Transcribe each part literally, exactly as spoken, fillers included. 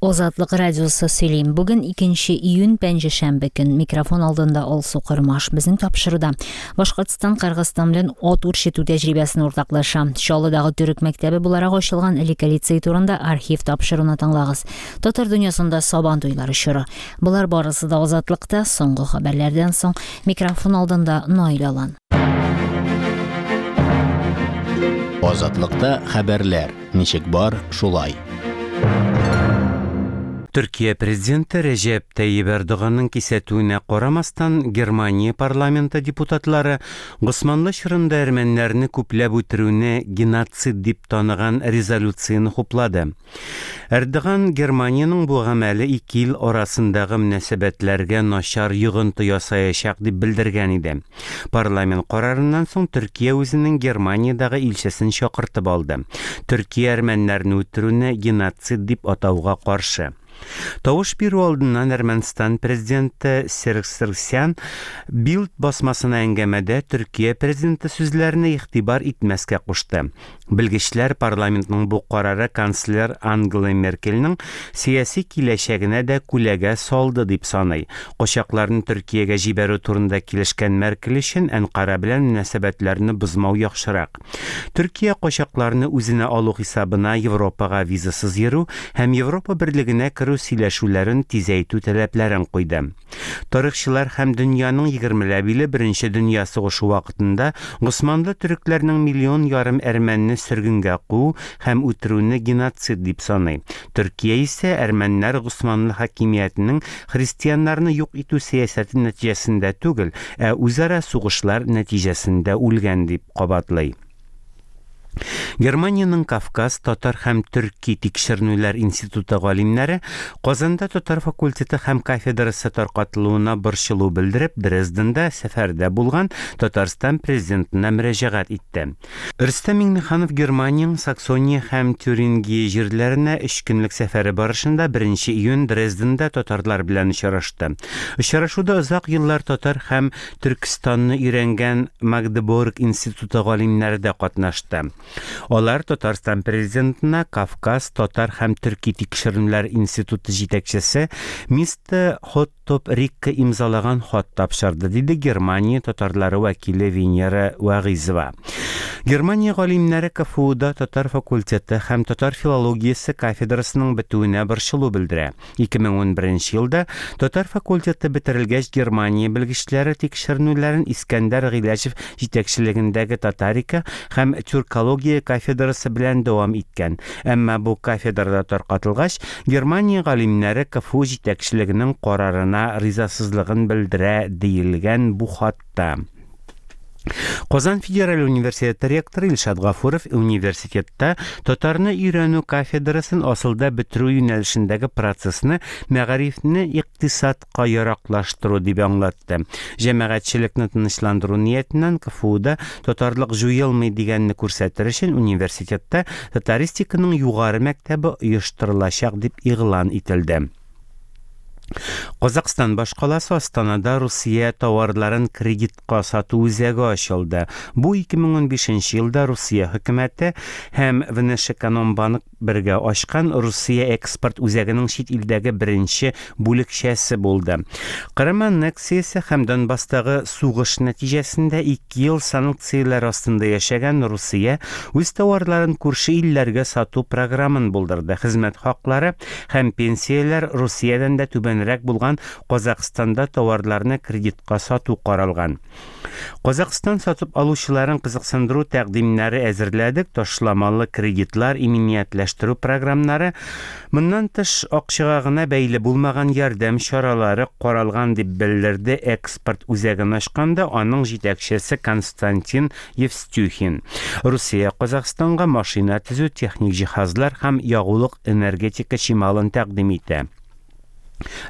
Азатлык радиосы сөйли. Бүген икенче июнь, пәнҗешәмбе көн. Микрофон алдында Алсу Кормаш. Безнең тапшыруда Башкортстан Кыргызстан белән ат үрчетү тәҗрибәсен уртаклаша. Чаллыдагы төрек мәктәбе буларак ачылган элекке лицей турында архив тапшыруны тыңлагыз. Татар дөньясында Сабан туйлары чоры. Болар барысы да Азатлыкта соңгы хәбәрләрдән соң. Микрофон алдында Наил Алан. Азатлыкта хәбәрләр ничек бар, шулай. Төркия президенты Рәҗәп Тайип Эрдоганның кисәтүенә карамастан, Германия парламенты депутатлары Госманлы чорында әрмәннәрне күпләп үтерүне геноцид дип таныган резолюцияне хуплады. Эрдоган Германиянең бу гамәле ике ил арасындагы мөнәсәбәтләргә начар йогынты ясаячак дип белдергән иде. Парламент карарыннан соң Төркия үзенең Германиядәге илчесен чакыртып алды. Төркия әрмәннәрне үтерүне геноцид дип атауга каршы. Тавыш бирү алдыннан Әрмәнстан президенты Серж Саргсян Билд басмасына әңгәмәдә Төркия президенты сүзләренә игътибар итмәскә кушты. Белгечләр парламентның бу карары канцлер Ангела Меркельнең сәяси киләчәгенә дә күләгә салды дип саный. Качакларны Төркиягә җибәрү турында килешкән Меркель өчен Әнкара белән мөнәсәбәтләрне бозмау яхшырак. Төркия качакларны үзенә алу хисабына Европага визасыз йөрү һәм Европа берлегенә керү сөйләшүләрен тизәйтү таләпләрен куйды. Тарихчылар һәм дөньяның егермеләп иле Беренче дөнья сугышы вакытында Госманлы төрекләрнең миллион ярым әрмәнне сөргенгә куу һәм үтерүне геноцид дип саный. Төркия исә әрмәннәр Госманлы хакимиятенең христианнарны юк итү сәясәте нәтиҗәсендә түгел, ә үзара сугышлар нәтиҗәсендә үлгән дип кабатлый. Германиянең Кавказ, татар һәм төрки тикшеренүләр институты галимнәре Казанда татар факультеты һәм кафедрасы таркатылуына борчылу белдереп, Дрезденда сәфәрдә булган Татарстан президентына мөрәҗәгать итте. Рөстәм Миңнеханов Германиянең Саксония һәм Тюрингия җирләренә өч көнлек сәфәре барышында беренче июнь Дрезденда татарлар белән очрашты. Очрашуда озак еллар татар һәм Төркестанны өйрәнгән Магдебург институты галимнәре дә катнашты. Алар Татарстан президентына Кавказ, татар һәм төрки тикшеренүләр институты җитәкчесе мистер Хоттоп Рикка имзалаган хат тапшырды, диде Германия татарлары вәкиле Венера Вагизова. Германия галимнәре КФУда татар факультеты һәм татар филологиясе кафедрасының бетүенә борчылу белдерә. ике мең ун беренче елда татар факультеты бетерелгәч, Германия белгечләре тикшеренүләрен Искәндәр Гыйләҗев җитәкчелегендәге татарика һәм тюркология кафедрасы белән дәвам иткән. Әмма бу кафедрада таркатылгач, Германия галимнәре КФУ җитәкчелегенең карарына ризасызлыгын белдерә, диелгән бу хатта. Казан федераль университеты ректоры Илшат Гафуров университетта татарны өйрәнү кафедрасын асылда бетерү юнәлешендәге процессны мәгарифне икътисадка яраклаштыру дип аңлатты. Җәмәгатьчелекне тынычландыру ниятеннән КФУда татарлык җуелмый дигәнне күрсәтер өчен университетта татаристиканың югары мәктәбе оештырылачак дип игълан ителде. Казакъстан башкаласы Астанада Русия товарларын кредитка сату үзәге ачылды. Бу ике мең ун бишенче елда Русия хөкүмәте һәм Внешэкономбанк бергә ачкан Русия экспорт үзәгенең чит илдәге беренче бүлекчәсе булды. Кырым аннексиясе һәм Донбасстагы сугыш нәтиҗәсендә ике ел санкцияләр астында яшәгән Русия үз товарларын күрше илләргә сату програмын булдырды. Хезмәт хаклары һәм пенсияләр Русиядән дә түбәнрәк булган Казакъстанда товарларны кредитка сату каралган. Казакъстан сатып алучыларын кызыксындыру тәкъдимнәре әзерләдек, ташламалы кредитлар, иминиятләштерү програмнары, моннан тыш акчага гына бәйле булмаган ярдәм чаралары каралган дип белдерде экспорт үзәген ачканда аның җитәкчесе Константин Евстюхин. Русия Казакъстанга машина төзү, техник җиһазлар һәм ягулык энергетика чималын тәкъдим итә.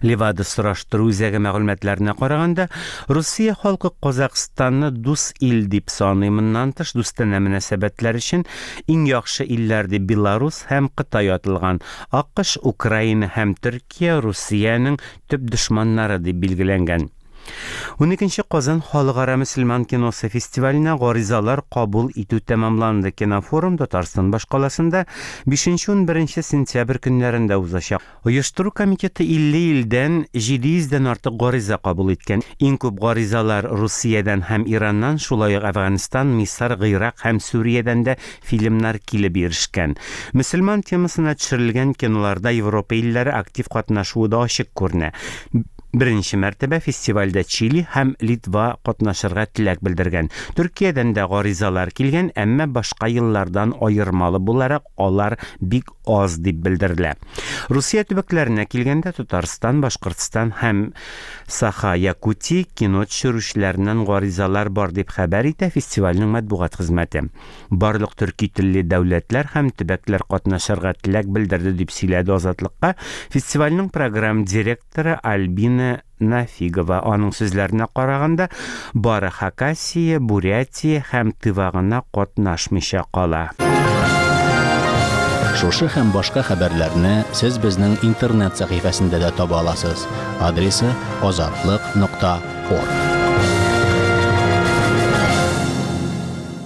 Левада сораштыру үзәге мәгълүматларына караганда, Русия халкы Казакъстанны дус ил дип саный. Моннан тыш дустанә мөнәсәбәтләр өчен иң яхшы илләр дип Беларус һәм Кытай аталган. АКШ, Украина һәм Төркия Русиянең төп дошманнары дип билгеләнгән. Уникенче Казан халыкара мөселман киносы фестиваленә гаризалар кабул итү тәмамланды. Кинофорум Татарстан башкаласында бишенче-унберенче сентябрь көннәрендә узачак. Оештыру комитеты илле илдән җиде йөздән артык гариза кабул иткән. Иң күп гаризалар Русиядән һәм Ираннан, шулай ук Әфганстан, Мисыр, Гыйрак һәм Сүриядән дә фильмнар килеп ирешкән. Мөселман темасына төшерелгән киноларда Европа илләре актив катнашуы да ачык күренә. Беренче мәртәбә фестивальдә Чили һәм Литва катнашырга теләк белдергән. Төркиядән дә гаризалар килгән, әмма башка еллардан аермалы буларак алар бик аз дип белдерелә. Русия төбәкләренә килгәндә Татарстан, Башкортстан һәм Саха-Якутия кино төшерүчеләреннән гаризалар бар дип хәбәр итә фестивальнең матбугат хезмәте. Барлык төрки телле дәүләтләр һәм төбәкләр катнашырга теләк белдерде дип сөйләде Азатлыкка фестивальнең программ директоры Альбина Нафигова. Аның сүзләренә караганда, бары Хакасия, Бурятия һәм Тыва гына катнашмыйча кала. Шушы һәм башка хәбәрләрне сез безнең интернет сәхифәсендә дә таба аласыз. Адресы азатлык нокта орг.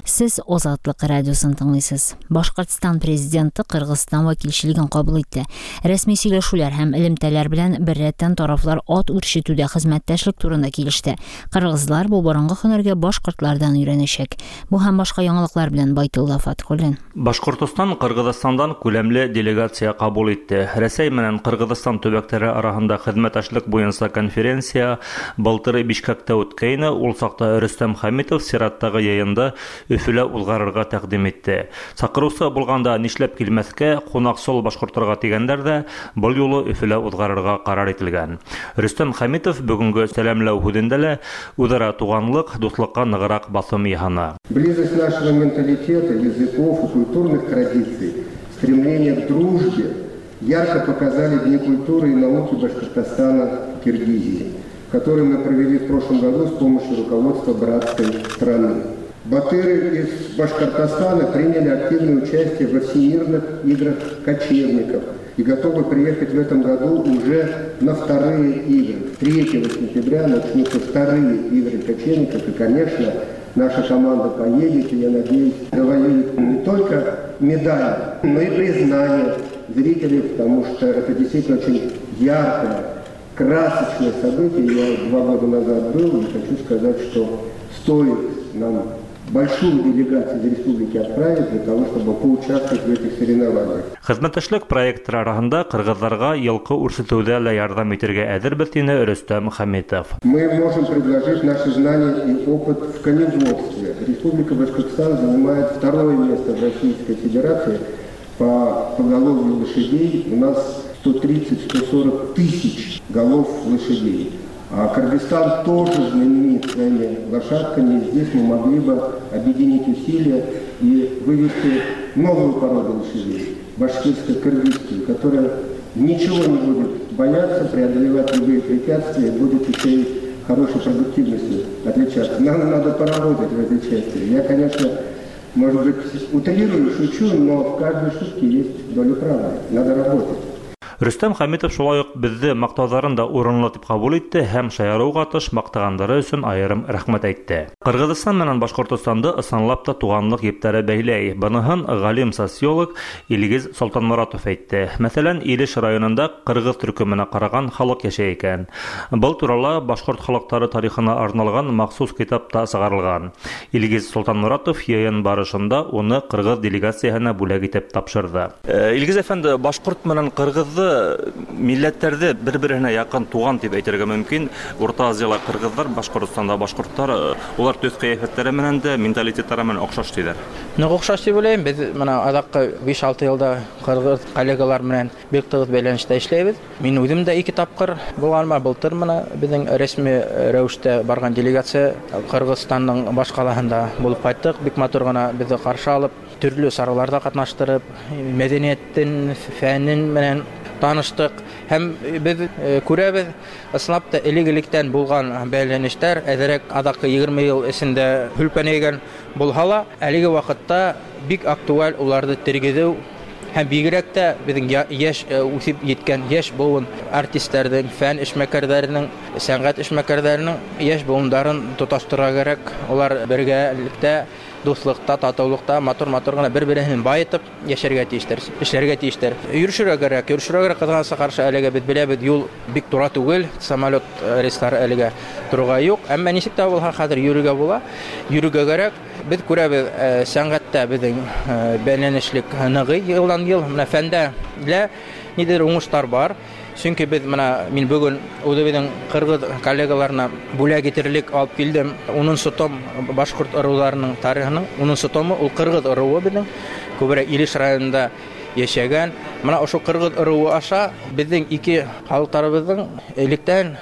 Сез Азатлык радиосын тыңлыйсыз. Башкортстан президенты Кыргызстан вәкилчелеген кабул итте. Рәсми сөйләшүләр һәм элемтәләр белән беррәттән тарафлар ат үрчетүдә хезмәттәшлек турында килеште. Кыргызлар бу борынгы һөнәргә башкортлардан өйрәнәчәк. Бу һәм башка яңалыклар белән Байтулла Фатхуллин. Башкортостан Кыргызстандан күләмле делегация кабул итте. Рәсәй менән Кыргызстан төбәкләре арасында хезмәттәшлек буенча конференция былтыр Бишкекта үткәйне. Ул сакта Рөстәм Хәмитов сираттагы йыйында Өфөлә узгарырга тәкъдим итте. Сакырыусы булганда нишләп килмәскә, кунаксол башкортларга дигәннәр дә был юлы Өфөлә узгарырга карар ителгән. Рөстәм Хәмитов бүгенге сәламләү һүзендә лә үзара туганлык, дуслыкка ныграк басым яһана. Близость нашего менталитета, языков и культурных традиций, стремление к дружбе ярко показали Дни культуры и науки Башкортостана в Киргизии, которые мы провели в прошлом году с помощью руководства братской страны. Батыры из Башкортостана приняли активное участие во всемирных играх кочевников и готовы приехать в этом году уже на вторые игры. третьего сентября начнутся вторые игры кочевников, и, конечно, наша команда поедет, и, я надеюсь, завоюет не только медали, но и признание зрителей, потому что это действительно очень яркое, красочное событие. Я два года назад был и хочу сказать, что стоит нам большую делегацию из республики отправить для того, чтобы поучаствовать в этих соревнованиях. Хезмәттәшлек проектлары арасында кыргызларга елкы үрсетүдә лә ярдәм итәргә әзербез, диде Рөстәм Хәмитов. Мы можем предложить наши знания и опыт в коневодстве. Республика Башкортостан занимает второе место в Российской Федерации по поголовью лошадей. У нас сто тридцать — сто сорок тысяч голов лошадей. А Кыргызстан тоже знаменит своими лошадками. Здесь мы могли бы объединить усилия и вывести новую породу лошадей, башкирско-кыргызскую, которая ничего не будет бояться, преодолевать любые препятствия, будет еще и хорошей продуктивностью отличаться. Нам надо поработать в этой части. Я, конечно, может быть, утрирую, шучу, но в каждой шутке есть доля правды. Надо работать. Рөстәм Хәмитов шулай ук безне мактауларын да урынлы дип кабул итте һәм шаяруга тыш мактагандары өчен аерым рәхмәт әйтте. Кыргызстан менән Башкортостанды ысынлап та туганлык епләре бәйләй. Быныһын галим социолог Илгиз Солтанмуратов әйтте. Мәсәлән, Илеш районында кыргыз төркеменә караган халык яшәй икән. Был турала башкорт халыклары тарихына арналган махсус китап та чыгарылган. Илгиз Солтанмуратов йыйын барышында уны кыргыз делегацияһына бүләк итеп тапшырды. Илгиз әфәнде, башкорт менән кыргызды милләтләрҙе бер-береһенә яҡын туған тип әйтергә мөмкин. Урта Азияла кыргыҙҙар, Башҡортостанда башҡорттар, улар төҫ ҡиәфәттәре менән дә, менталитеттары менән оҡшаш тиҙәр. Ныҡ оҡшаш тип уйлайым. Беҙ мына аҙаҡҡы биш-алты йылда ҡырғыҙ коллегалар менән бик тығыҙ бәйләнештә эшләйбеҙ. Мин үҙем дә ике тапҡыр булғаныма, былтыр мына беҙҙең рәсми рәүештә барған делегация Ҡырғыҙстандың баш ҡалаһында булып ҡайттыҡ. Бик матур ғына беҙҙе ҡаршы алып, төрлө сараларҙа ҡатнаштырып, мәҙәниәттең, фәнен менән таныштыҡ. Һәм беҙ күрәбеҙ, ысынлап та элек-электән булған бәйләнештәр әҙерәк аҙаҡҡы егерме йыл эсендә һүлпәнәйгән булһа ла, әлеге ваҡытта бик актуаль уларҙы тергеҙеү Һәм бигрәк тә безнең яшь үсеп еткән яшь буын артистларның, фән эшмәкәрләренең, сәнгать эшмәкәрләренең яшь буыннарын тоташтырырга кирәк. Алар бергәлектә, дуслыкта, татулыкта матур-матур гына бер-берен байытып яшәргә тиешләр, эшләргә тиешләр. Йөрүшергә кирәк, йөрүшергә кирәк. Кызганычка каршы, әлегә без беләбез, юл бик тура түгел, самолет рейслары әлегә торырга юк. Әмма ничек тә булса хәзер йөрергә була, йөрергә кирәк. Без күрәбез, сәнгатьтә безнең бәйләнешлек ныгый елдан ел. Менә фәндә лә нидер уңышлар бар. Чөнки без менә мин бүген үзебезнең кыргыз коллегаларына бүләк итерлек алып килдем. Унынчы том башкорт ыруларының тарихының унынчы томы, ул кыргыз ыруы безнең күбрәк Илеш районында яшәгән. Менә ошо кыргыз ыруы аша безнең ике халыкларыбызның электән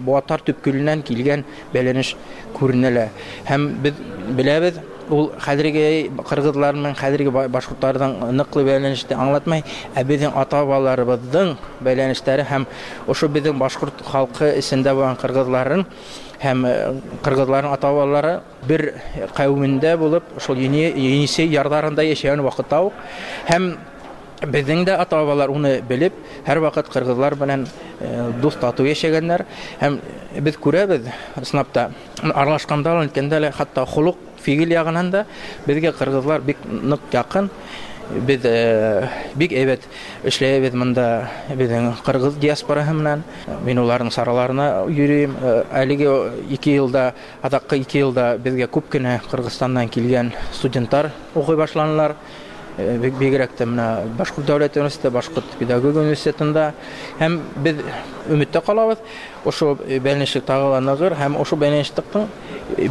Буатар төпкеленнән килгән бәйләнеш күренелә. Һәм без беләбез, ул хәзерге кыргызлар менән хәзерге башкортларның ныклы бәйләнешен аңлатмай, ә безнең ата-бабаларыбызның бәйләнешләре һәм ошо безнең башкорт халкы эчендә булган кыргызларын һәм кыргызларның ата-бабалары бер кавемендә булып, шул Енисей ярларында яшәгән вакытта ук һәм безнең дә ата-бабалар уны белеп, һәр вакыт кыргызлар белән дус тату яшәгәннәр. Һәм без күрәбез, чынлап та, аралашканда, әйткәндә лә, хәтта холык фигыль ягыннан да безгә кыргызлар бик нык якын. Без бик әйбәт эшләйбез монда безнең кыргыз диаспорасы белән. Мин уларның сараларына йөрим. Әлеге ике елда, азаккы ике елда безгә күп кенә Кыргызстаннан килгән студентлар укый башланылар. Бигрәк тә менә Башкорт дәүләт университеты, Башкорт педагогия университетында. Һәм без өметтә калабыз, ошо бәйләнешлек тагы ла ныгыр һәм ошо бәйләнешлекнең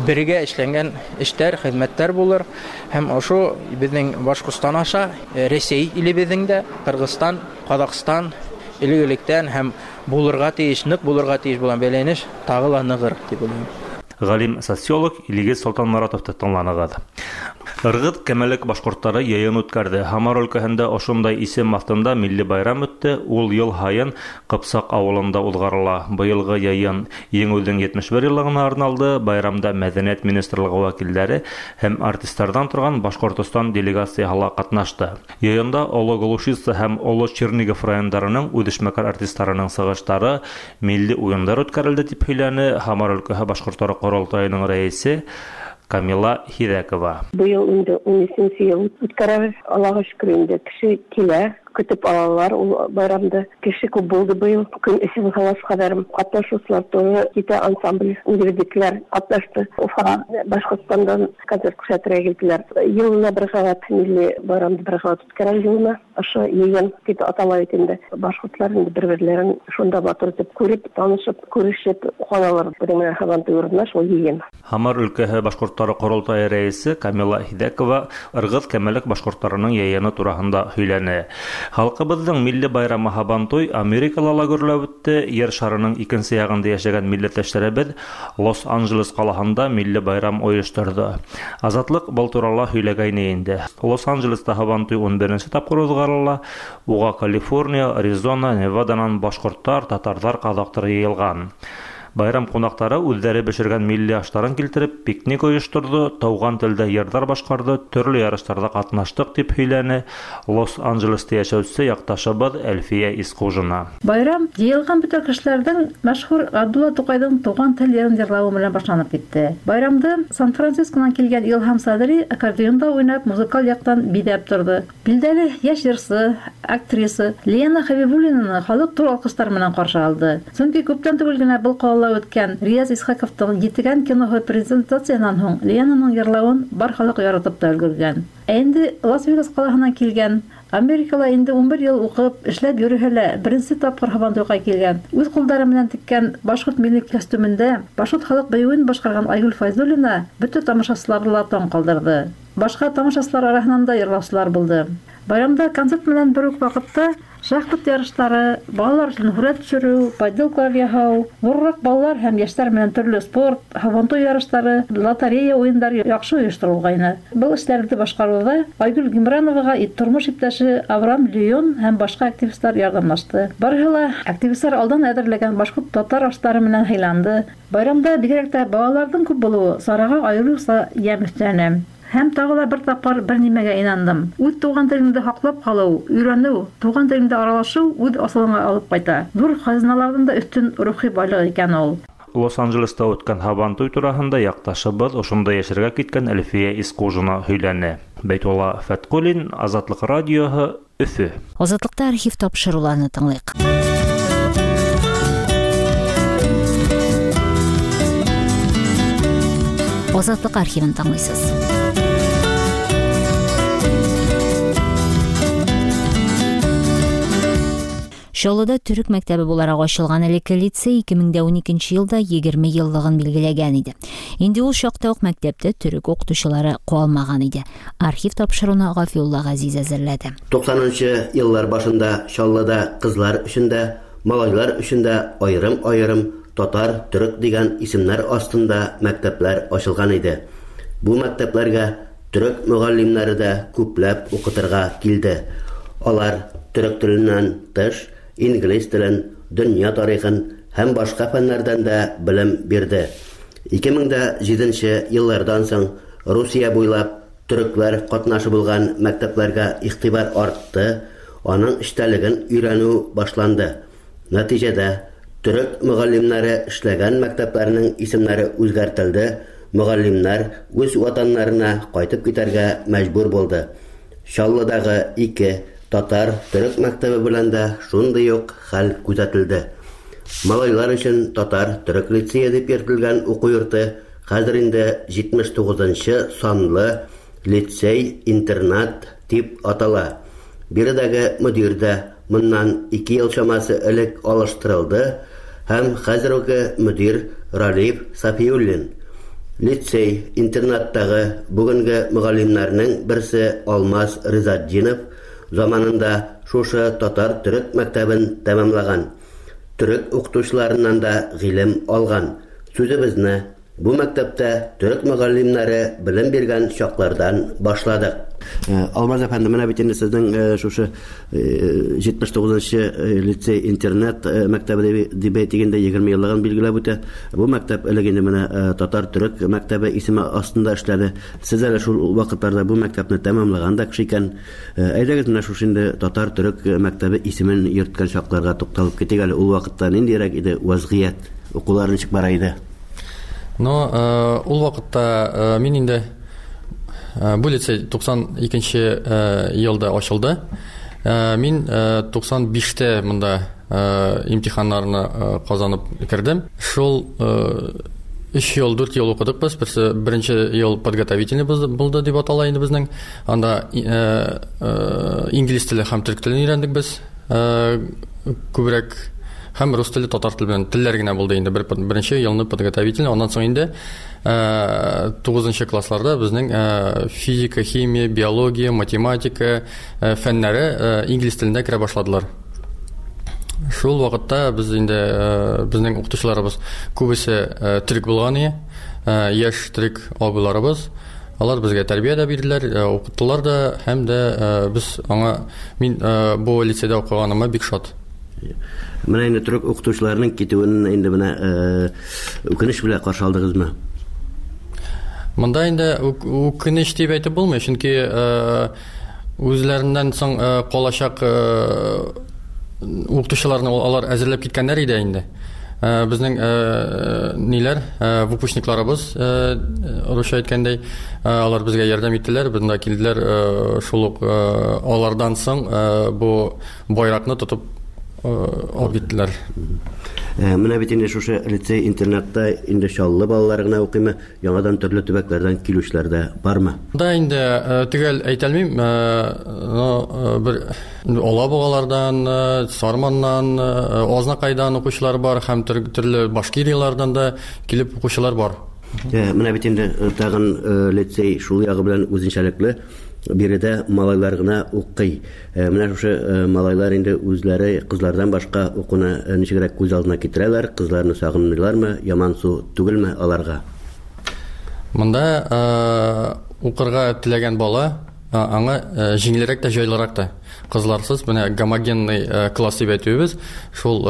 бергә эшләнгән эшләр, хезмәтләр булыр. Һәм ошо безнең Башкортстан аша Рәсәй илебезнең дә, Кыргызстан, Казакъстан элек-электән һәм булырга тиеш, нык булырга тиеш булган бәйләнеш тагы ла ныгыр дип уйлыйм. Галим социолог Илгиз Солтанмуратов та тыңланыгыз. Ыргыт Кәмәлек башкортлары йыйын үткәрде. Һамар өлкәһендә ошондай исем астында милли байрам үтте. Ул ел һайын Ҡыпсаҡ ауылында уҙғарыла. Быйылғы йыйын еңеүҙең етмеш бер йыллығына арналды. Байрамда Мәҙәниәт министрлығы вәкилдәре һәм артисттарҙан торған Башҡортостан делегацияһы ла ҡатнашты. Йыйында Оло Глушица һәм Оло Чернигов райондарының үҙешмәкәр артисттарының сығыштары, милли уйындар үткәрелде, тип һөйләне Һамар өлкәһе башҡорттары ҡоролтайының рәйесе Камила Хиҙәкова. Быйыл инде ун өсөнсө йыл үткәрәбеҙ. Аллаға шөкөр, инде кеше килә, көтөп алалар ул байрамды. Кеше күп булды быйыл. Көн эсе булһа ҡәҙәр ҡатнашыусылар тоже китә, ансамбль үҙебеҙҙекеләр ҡатнашты. Уфа, Башҡортостандан концерт күрһәтергә килделәр. Йылына бер ҡабат милли байрамды бер ҡабат үткәрәбеҙ йылына. Ошо йыйын тип атала бит инде. Башҡортлар инде бер-берләрен шунда матур итеп күреп, танышып, күрешеп ҡалалар. Беҙҙең менән Һабантуй урынына шул йыйын. Һамар өлкәһе башҡорттары ҡоролтайы рәйесе Камила Хиҙәкова Ырғыҙ Кәмәлек башҡорттарының йыйыны тураһында һөйләне. Халҡыбыҙҙың милли байрамы Һабантуй Америкала ла гөрләп үтте. Ер шарының икенсе яғында йәшәгән милләттәштәребеҙ Лос-Анджелес ҡалаһында милли байрам ойошторҙо. Азатлыҡ был турала һөйләгәйне инде. Лос-Анджелеста Һабантуй ун беренсе тапҡыр уҙғарыла. Уға Калифорния, Аризона, Неваданан башҡорттар, татарҙар, ҡаҙаҡтар йыйылған. Байрам ҡунаҡтары үҙҙәре бешергән милли аштарын килтереп, пикник ойошторҙо, тыуған телдә йырҙар башҡарҙы, төрлө ярыштарҙа ҡатнаштыҡ, тип һөйләне Лос-Анджелеста йәшәүсе яҡташыбыҙ Әлфиә Исҡужина. Байрам йыйылған бөтә кешеләрҙең мәшһүр Ғабдулла Туҡайҙың Туған тел йырын йырлауы менән башланып китте. Байрамды Сан-Францисконан килгән Илһам Садри аккордеонда уйнап, музыкаль яҡтан биҙәп торҙо. Билдәле йәш йырсы, актриса Лена Хәбибуллинаны халыҡ ҙур алҡыштар менән ҡаршы алды. Сөнки күптән түгел генә был ҡалала үткән Рияз Исхаковтың Етегән киноһы презентацияһынан һуң Ленаның йырлауын бар халыҡ яратып та өлгөргән. Ә инде Лас-Вегас ҡалаһынан килгән, Америкала инде ун бер йыл уҡып, эшләп йөрөһә лә беренсе тапҡыр Һабантуйға килгән, үҙ ҡулдары менән теккән башҡорт милли костюмендә башҡорт халыҡ бейеүен башҡарған Айгөл Файзуллина бөтә тамашасыларҙы ла таң ҡалдырҙы. Башҡа тамашасылар араһынан да йырлаусылар булды. Байрамда концерт менән бер үк ваҡытта шахмат ярыштары, балалар өсөн һүрәт төшөрөү, поделкалар яһау, ҙурыраҡ балалар һәм йәштәр менән төрлө спорт, һабантуй ярыштары, лотерея уйындары яҡшы ойошторолғайны. Был эштәрҙе башҡарыуҙа Айгөл Гимрановаға тормош иптәше Авраам Леон һәм башҡа активистар ярҙамлашты. Барыһы ла активистар алдан әҙерләгән башҡорт татар аштары менән һыйланды. Байрамда бигерәк тә балаларҙың күп булыуы сараға айырыуса йәм өҫтәне. Һәм тагы да бер тапкыр бер нимәгә инандым. Үз туган телеңде һаклап калу, өйрәнү, туган телеңдә аралашу үз асылыңа алып кайта. Зур хазиналардан да өстен рухи байлык икән ул. Лос-Анджелеста үткән Һабантуй тураһында якташыбыз ошонда яшәргә киткән Әлфия Искужина һөйләне. Бәйтулла Фәткуллин, Азатлык радиоһы, Өфө. Азатлыкта архив тапшыруларны тыңлыйк. Азатлык архивын тыңлыйсыз. Чаллыда төрек мәктәбе буларак ачылган элекке лицей ике мең дә уникенче елда егерме еллыгын билгеләгән иде. Инде ул чакта ук мәктәптә төрек укытучылары калмаган иде. Архив тапшыруны Гафиулла Газиз әзерләде. Туксанынчы еллар башында Чаллыда кызлар өчен дә, малайлар өчен дә аерым-аерым татар, төрек дигән исемнәр астында мәктәпләр ачылган иде. Бу мәктәпләргә төрек мөгаллимнәре дә күпләп укытырга килде. Алар төрек теленнән тыш инглиз телен, дөнья тарихын һәм башка фәннәрдән дә белем бирде. ике мең дә җиденче еллардан соң Русия буйлап төрекләр катнашы булган мәктәпләргә игътибар артты, аның эчтәлеген өйрәнү башланды. Нәтиҗәдә төрек мөгаллимнәре эшләгән мәктәпләрнең исемнәре үзгәртелде, мөгаллимнәр үз ватаннарына кайтып китәргә мәҗбүр булды. Чаллыдагы ике татар төрек мәктәбе белән дә шундый ук хәл күзәтелде. Малайлар өчен татар төрек лицее дип йөртелгән уку йорты хәзер инде җитмеш тугызынчы санлы лицей-интернат дип атала. Биредәге мөдир дә моннан ике ел чамасы элек алыштырылды һәм хәзерге мөдир Ралиф Сафиуллин. Лицей-интернаттагы бүгенге мөгаллимнәрнең берсе Алмаз Ризатдинов заманында шушы татар төрек мәктәбен тәмамлаган, төрек укытучыларыннан да гыйлем алган. Сүзебезне бу мәктәптә төрек мөгаллимнәре белем биргән чаклардан башладык. Алмаз әфәнде, менә бит инде сезнең шушы җитмеш тугызынчы лицей-интернат мәктәбе дип әйтегендә егерме еллыгын билгеләп үтә. Бу мәктәп элек инде менә татар төрек мәктәбе исеме астында эшләде. Сез әле шул вакытларда бу мәктәпне тәмамлаган да кеше икән. Әйдәгез менә шушы инде татар төрек мәктәбе исемен йөрткән чакларга тукталып китик әле. Ул вакытта ниндирәк иде вазгыять? Укулар ничек бара иде? Но ул вакытта мин инде бу лицей туксан икенче елда ачылды. Мин туксан биштә монда имтиханнарны казанып кердем. Шул өч ел, дүрт ел укыдык без. Берсе беренче ел подготовительный булды дип атала инде безнең. Анда инглиз теле һәм төрек телен өйрәндек без. Күбрәк һәм рус теле, татар теле белән телләр генә булды инде. Бер, беренче елны подготовительный, аннан соң инде тугызынчы классларда безнең физика, химия, биология, математика фәннәре инглиз телендә керә башладылар. Шул вакытта без инде безнең укытучыларыбыз күбесе төрек булган иде, яшь төрек абыйларыбыз. Алар безгә тәрбия дә бирделәр, укыттылар да, һәм дә без аңа мин бу лицейда укыганыма бик шат. Менә инде төрек укытучыларының китүен инде менә үкенеч белән каршы алдыгызмы? Монда инде үкенеч дип әйтеп булмый, чөнки үзләреннән соң калачак укытучыларны алар әзерләп киткәннәр иде инде. Безнең ниләр, выпускникларыбыз, русча әйткәндәй, алар безгә ярдәм иттеләр, безгә килделәр, шул ук алардан соң бу байракны тотып алып киттеләр. Менә бит инде шушы лицей-интернатта инде Чаллы балалары гына укыймы, яңадан төрле төбәкләрдән килүчеләр дә бармы? Да инде төгәл әйтә алмыйм, но бер Алабугалардан, Сарманнан, Азнакайдан укучылар бар һәм төрле Башкирияләрдән дә килеп укучылар бар. Менә бит инде тагын лицей шул ягы белән үзенчәлекле. Биредә малайлар гына укый. Менә шушы малайлар инде үзләре кызлардан башка укуны ничегрәк күз алдына китерәләр, кызларны сагынмыйлармы, ямансу түгелме аларга? Монда укырга теләгән бала аңа җиңелрәк тә, җайлырак та. Кызларсыз менә гомогенный класс дип әйтүебез, шул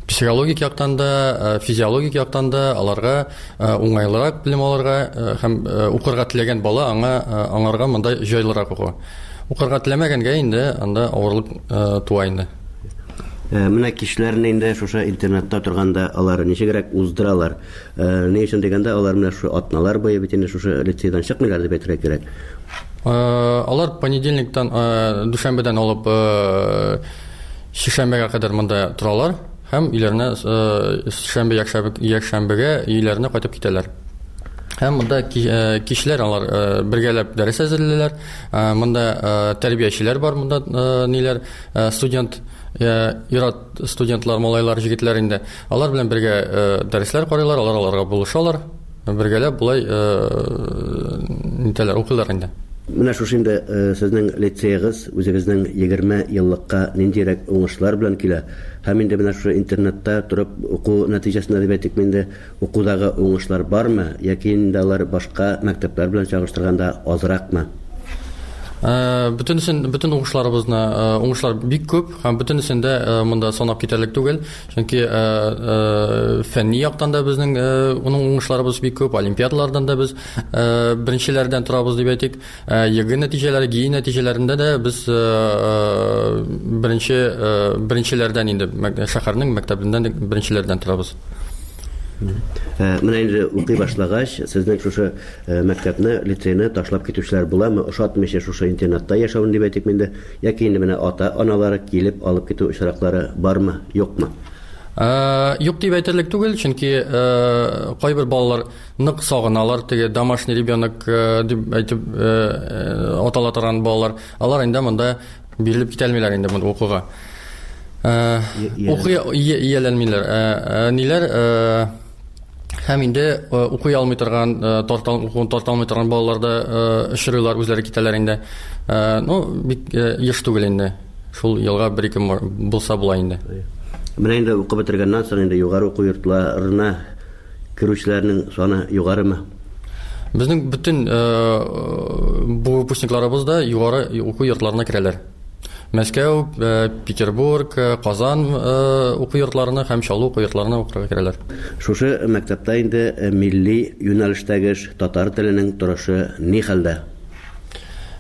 психологик яктан да, физиологик яктан да аларга уңайлырак белем алырга һәм укырга теләгән бала аңа аңарга монда җайлырак уку. Укырга теләмәгәнгә инде анда авырлык туа инде. Менә кичләрне инде шушы интернетта торганда алар ничегрәк уздыралар? Ни өчен дигәндә, алар менә шушы атналар буе бит инде шушы лицейдан чыкмыйлар дип әйтергә кирәк. Алар понедельниктан, дүшәмбедән алып шишәмбегә кадәр монда торалар һәм өйләренә шәмбе, якшәмбе, якшәмбегә өйләренә кайтып китәләр. Һәм монда кичләр алар бергәләп дәрес әзерлиләр. Монда тәрбиячеләр бар, монда ниләр, студент, ир-ат студентлар, малайлар, җегетләр инде. Алар белән бергә дәресләр карыйлар, алар аларга булышалар. Бергәләп болай нитәләр, укыйлар инде. Менә шушы инде сезнең лицеегыз үзегезнең егерме еллыкка ниндирәк уңышлар белән килә? Һәм инде менә шушы интернетта торып уку нәтиҗәсендә дип әйтик инде, укудагы уңышлар бармы яки инде алар башка мәктәпләр белән чагыштырганда азракмы? Бөтенесен, бөтен уңышларыбызны, уңышлар бик күп һәм бөтенесен дә монда санап китәрлек түгел, чөнки фәнни яктан да безнең уның уңышларыбыз бик күп, олимпиадалардан да без беренчеләрдән торабыз дип әйтик. ЕГЭ нәтиҗәләре, ГИ нәтиҗәләрендә дә без беренче беренчеләрдән инде шәһәрнең мәктәбеннән беренчеләрдән торабыз. Менә инде укый башлагач, сезнең шушы мәктәпне, лицейны ташлап китүчеләр буламы? Ошатмыйча шушы интернатта яшәүне дип әйтик инде, яки инде менә ата-аналары килеп алып китү очраклары бармы, юкмы? Юк дип әйтерлек түгел, чөнки кайбер балалар нык сагыналар, теге домашний ребенок дип әйтеп атала торган балалар, алар инде монда бирелеп китә алмыйлар инде монда укуга. Укый ияләнмиләр. Ниләр һәм инде укый алмый торган, укуын тарта алмый торган балалар да очрыйлар, үзләре китәләр инде. Ну, бик еш түгел инде. Шул елга бер-ике булса була инде. Менә инде укып бетергәннән соң инде югары уку йортларына керүчеләрнең саны югарымы? Безнең бөтен бу выпускникларыбыз да югары уку йортларына керәләр. Мәскәү, Петербург, Казан уку йортларына һәм Чаллы уку йортларына укырга керәләр. Шушы мәктәптә инде милли юнәлештәге татар теленең торышы ни хәлдә?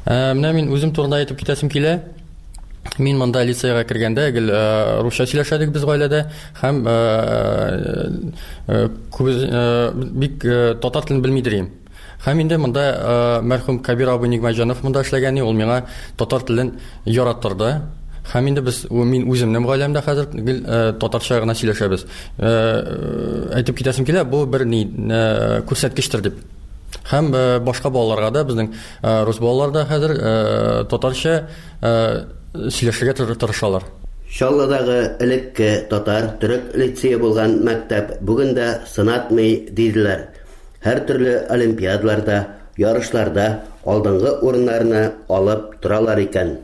Менә мин үзем турында әйтеп китәсем килә. Мин монда лицейга кергәндә гел русча сөйләшәдек без гаиләдә һәм бик татар телен белми идем. Һәм инде монда мәрхүм Кабир абый Нигмәтҗанов монда эшләгән, ул миңа татар телен яраттырды. Һәм инде без, мин үземнең гаиләмдә хәзер гел татарча гына сөйләшәбез. Әйтеп китәсем килә, бу бер ни күрсәткечтер дип. Һәм башка балаларга да, безнең рус балалар да хәзер татарча сөйләшергә тырышалар. Чаллыдагы элекке татар төрек лицее булган мәктәп бүген дә сынатмый диделәр. Һәр төрле олимпиадаларда, ярышларда алдынгы урыннарны алып торалар икән.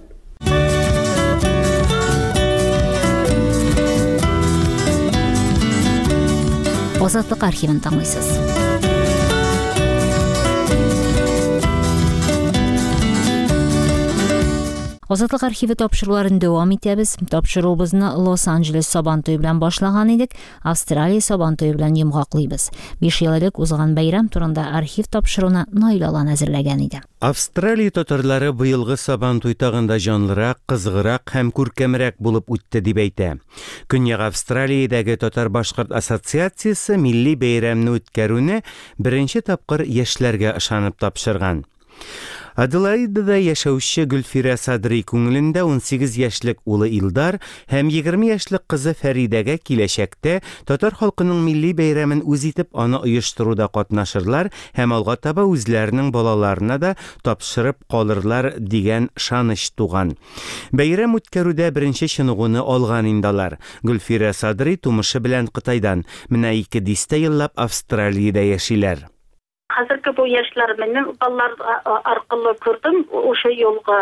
Азатлык архивын тыңлыйсыз. Азатлык архивы тапшыруларын дәвам итәбез. Тапшыруыбызны Лос-Анджелес Сабантуе белән башлаган идек, Австралия Сабантуе белән йомгаклыйбыз. Биш ел элек узган бәйрәм турында архив тапшыруны Наил Алан әзерләгән иде. Австралия татарлары быелгы Сабантуй тагында җанлырак, кызыграк һәм күркәмрәк булып үтте дип әйтә. Көньяк Австралиядәге Татар-Башкорт ассоциациясе милли бәйрәмне үткәрүне беренче тапкыр яшьләргә ышанып тапшырган. Аделаидада яшәүче Гөлфирә Садри күңелендә ун сигез яшьлек улы Илдар һәм егерме яшьлек кызы Фәридәгә киләчәктә татар халкының милли бәйрәмен үз итеп аны оештыруда катнашырлар һәм алга таба үзләренең балаларына да тапшырып калырлар дигән ышаныч туган. Бәйрәм үткәрүдә беренче чыныгуны алган инде алар. Гөлфирә Садри тумышы белән Кытайдан, менә ике дистә еллап Австралиядә яшиләр. Хәзерге бу яшьләр минем балалар аркылы күрдем, ошо юлга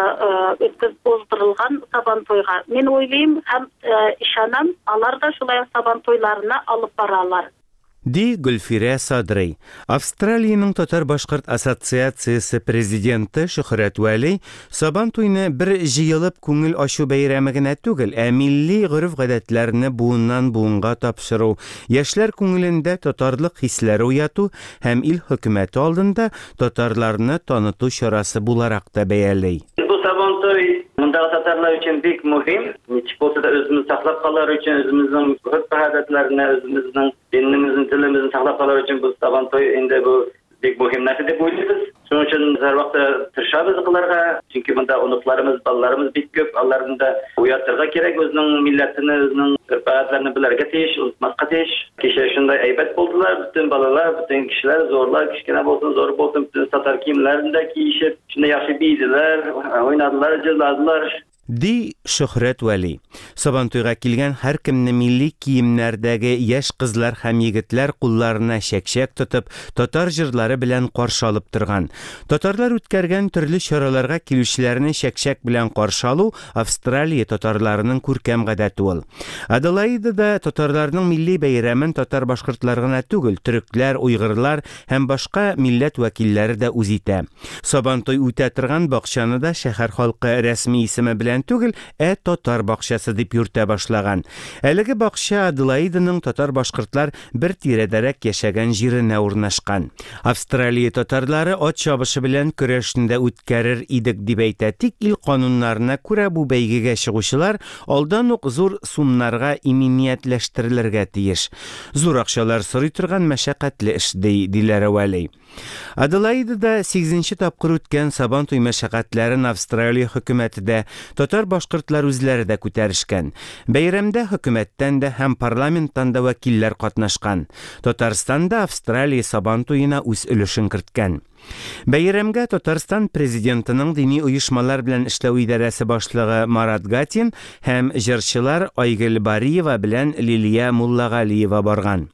өткөзүп уздырылган Сабантуйга. Мин уйлыйм һәм ышанам, алар да шулай Сабантуйларына алып баралар. Ди Гөлфирә Садрый. Австралиянең Татар-Башкорт ассоциациясе президенты Шөһрәт Вәли Сабан туйны бер җыелып күңел ачу бәйрәме генә түгел, ә милли гореф-гадәтләрне буыннан буынга тапшыру, яшьләр күңелендә татарлык хисләре уяту һәм ил хөкүмәте алдында татарларны таныту чарасы буларак та бәяли. Бу Сабан туй мондагы татарлар өчен бик мөһим. Ничек булса да үзебезне саклап калыр өчен, үзебезнең гореф-гадәтләрне, үзебезнең динебезне, телебезне саклап калыр өчен бу Сабан туй инде бу бик мөһим нәрсә дип уйлыйбыз. Шуның өчен һәрвакыт тырышабыз кылырга, чөнки монда оныкларыбыз, балаларыбыз бик күп, аларны да уятырга кирәк, үзенең милләтен, үзенең гореф-гадәтләрен белергә тиеш, онытмаска тиеш. Кичә шундай әйбәт булдылар, бөтен балалар, бөтен кешеләр, зурлар, кечкенә булсын, зур булсын, бөтен татар киемнәрен дә киешеп, шундай яхшы биеделәр, уйнадылар, җырладылар. Ди Шөһрәт Вәли. Сабантуйга килгән һәркемне милли киемнәрдәге яшь кызлар һәм егетләр кулларына чәкчәк тотып, татар җырлары белән каршы алып торган. Татарлар үткәргән төрле чараларга килүчеләрне чәкчәк белән каршы алу Австралия татарларының күркәм гадәте ул. Аделаидада татарларның милли бәйрәмен татар-башкортлар гына түгел, төрекләр, уйгырлар һәм башка милләт вәкилләре дә үз итә. Сабантуй үтә торган бакчаны да шәһәр халкы рәсми исеме белән түгел, ә татар бакчасы дип йөртә башлаган. Әлеге бакча Аделаиданың татар-башкортлар бер тирәдәрәк яшәгән җиренә урнашкан. Австралия татарлары ат чабышы белән көрәшне дә үткәрер идек дип әйтә. Тик ил кануннарына күрә бу бәйгегә чыгучылар алдан ук зур сумнарга иминиятләштерелергә тиеш. Зур акчалар сорый торган мәшәкатьле эш, ди Диләрә Вәли. Аделаидада сигезенче тапкыр үткән Сабан туй мәшәкатьләрен Австралия хөкүмәте дә, татар-башкортлар үзләре дә күтәрешкән. Бәйрәмдә хөкүмәттән дә һәм парламенттан да вәкилләр катнашкан. Татарстан да Австралия Сабан туена үз өлешен керткән. Бәйрәмгә Татарстан президентының дини оешмалар белән эшләү идарәсе башлыгы Марат Гатин һәм җырчылар Айгөл Бариева белән Лилия Муллагалиева барган.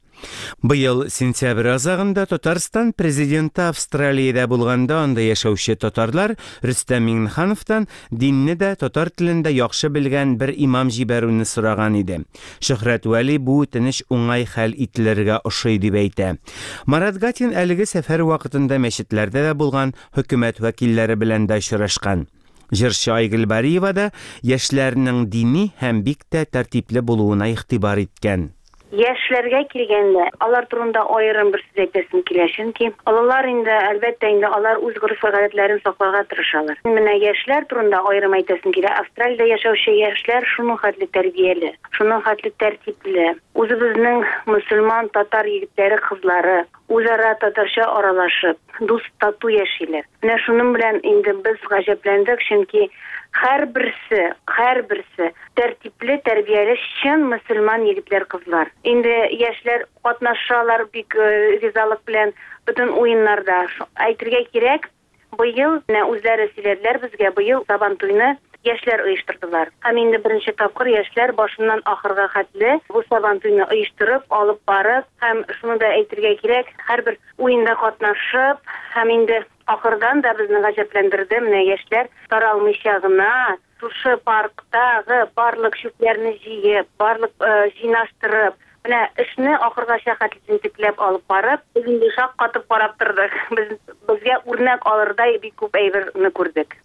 Быел сентябрь азагында Татарстан президенты Австралиядә булганда анда яшәүче татарлар Рөстәм Миңнехановтан динне дә татар телендә яхшы белгән бер имам җибәрүне сораган иде. Шөһрәт Вәли бу үтенеч уңай хәл ителергә ошый дип әйтә. Марат Гатин әлеге сәфәр вакытында мәчетләрдә дә булган, хөкүмәт вәкилләре белән дә очрашкан. Җырчы Айгөл Бариева да яшьләрнең дини һәм бик тә тәртипле булуына игътибар иткән. Яшьләргә килгәндә, алар турында аерым бер сүз әйтәсем килә, чөнки олылар инде, әлбәттә инде, алар үз гореф-гадәтләрен сакларга тырышалар. Менә яшьләр турында аерым әйтәсем килә. Австралиядә яшәүче яшьләр шуның хәтле тәрбияле, шуның хәтле тәртипле. Үзебезнең мөселман татар егетләре, кызлары үзара татарча аралашып, дус тату яшиләр. Менә шуның белән инде без гаҗәпләндек, чөнки һәрберсе, һәрберсе тәртипле, тәрбияле, чын мөселман егетләр, кызлар. Инде яшьләр катнашалар бик ризалык белән бөтен уеннарда. Әйтергә кирәк, быел менә үзләре сөйләделәр безгә, быел Сабан туйны яшьләр оештырдылар. Һәм инде беренче тапкыр яшьләр башыннан ахырга хәтле бу Сабан туйны оештырып, алып барып, һәм шуны да әйтергә кирәк, һәрбер уенда катнашып, һәм инде ахырдан да безне гаҗәпләндерде, менә яшьләр таралмыйча гына шушы парктагы барлык чүпләрне җыеп, барлык җыйнаштырып, менә эшне ахыргача хәтле җентекләп алып барып, без инде шаккатып карап тордык. Без безгә үрнәк алырдай бик күп әйберне күрдек.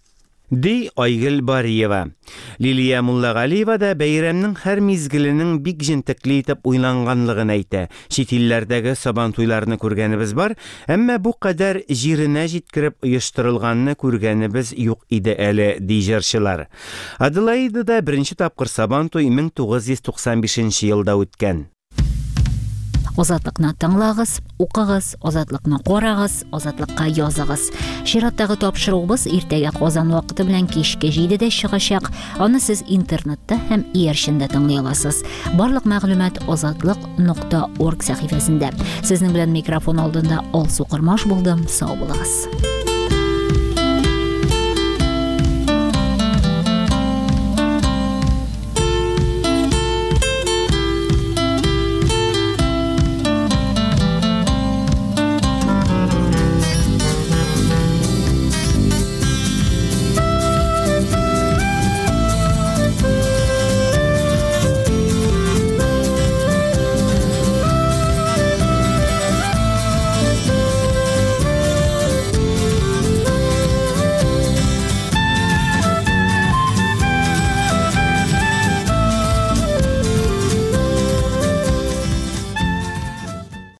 Ди Айгөл Бариева. Лилия Муллагалиева да бәйрәмнең һәр мизгеленең бик җентекле итеп уйланганлыгын әйтә. Чит илләрдәге Сабан туйларны күргәнебез бар, әмма бу кадәр җиренә җиткереп оештырылганны күргәнебез юк иде әле, ди җырчылар. Аделаидада беренче тапкыр Сабан туй мең тугыз йөз туксан бишенче елда үткән. Азатлыкны тыңлагыз, укыгыз, азатлыкны карагыз, азатлыкка языгыз. Чираттагы тапшыруыбыз иртәгә Казан вакыты белән кичке җидедә чыгачак. Аны сез интернетта һәм иярчендә тыңлый аласыз. Барлык мәгълүмат азатлык нокта орг сәхифәсендә. Сезнең белән микрофон алдында Алсу Кормаш булдым. Сау булыгыз.